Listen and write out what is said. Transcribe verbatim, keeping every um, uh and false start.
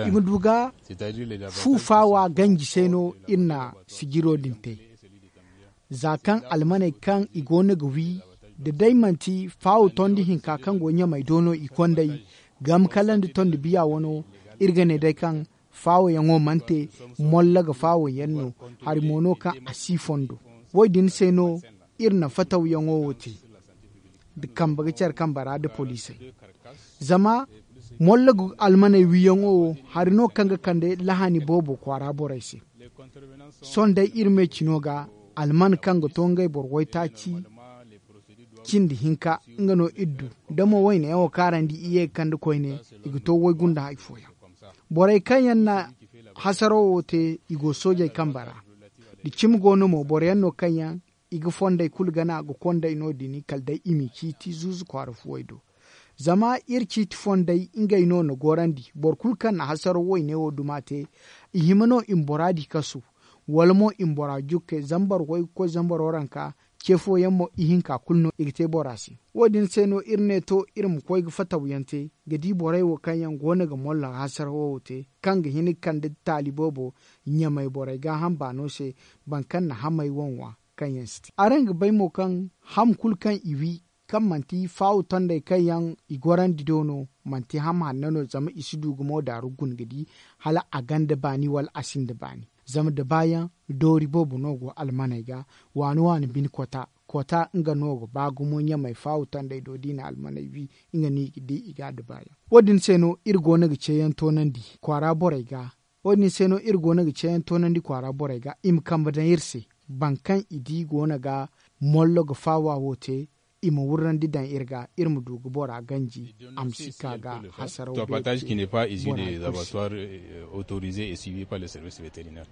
I ma du ga fu faawa ganji se no iri na sijiro din te. Za kaŋ almaney kaŋ i go no ga wi, da day manti faawo tondi hinka kaŋ go ɲamey do no i konday, gam kala nda tondi biya wano, iri ga ne day kaŋ faawoyaŋo mana te, molla ga faawoyaŋ no. Hari mo no kaŋ a si fondo. Wo- din se no iri na fatawyaŋo wo te, da kambe ga care kambe ra nda poliisey. Zama molla ga almaney wiyaŋo wo, hari no kaŋ ga kande lahani boobo kwaara borey se. Sohõ day iri me cino ga, alman kaŋ ga to ngey boro waytaaci cindi hinka, nga no iri du. Da mo wayne yaŋo kaarandi i ye ga kande koyne, i ga to waygunda hari fooyaŋ. Borey kaŋ yaŋ na hasaro wo te, i go soojey kambe ra. Da cimi go no mo boro yaŋ no kaŋ yaŋ i ga fondey kulu gana ga konday no- din kala day i m'i ciiti zuuzu kwaara fuwey do. Zama iri ciiti fondey ngey no na gorandi boro kulu kaŋ na hasaro wayne wo duma te, i hima no i ma bora di kasu, wala mo i ma bora jukke zambar way ga koy zambaro ranka. Ce fooyaŋ mo ihinka kulu no i ga te bora se. Wo- din se no iri ne to iri ma koy ga fatawyaŋ te, ga di borey wo kaŋ yaŋ go no ga molla hasaro wo te, kaŋ ga hin ga kande taali boobo ɲamey borey gaaham baano se, boro kaŋ na hamey wanwa kaŋ yaŋ si te. Araŋ ga bay mo kaŋ ham kulu kaŋ i wi, kaŋ manti faawu tondey kaŋ yaŋ i gorandi do no, manti ham hanno no zama i si du ga mo daaru guna ga di, hala a gonda baani wala a sinda baani. Zama da baayaŋ doori boobo no go almaney ga, waani waani bine kota kota nga no ga ba gumo ɲamey faawu tondey do da i na almaney wi, nga no i ga di i ga da baayaŋ. Wo- din se no iri go no ga ceeyaŋ toonandi kwaara borey ga. Wo- din se no iri go no ga ceeyaŋ toonandi kwaara borey ga i ma kambe daŋ iri se, boro kaŋ i di go no ga mollo ga faawa wo te, i ma wurrandi daŋ iri ga, iri ma du ga bora ganji, a ma si ka ga hasaraw beeri te. Bora kulu se. Autorisé et suivi par le service vétérinaire.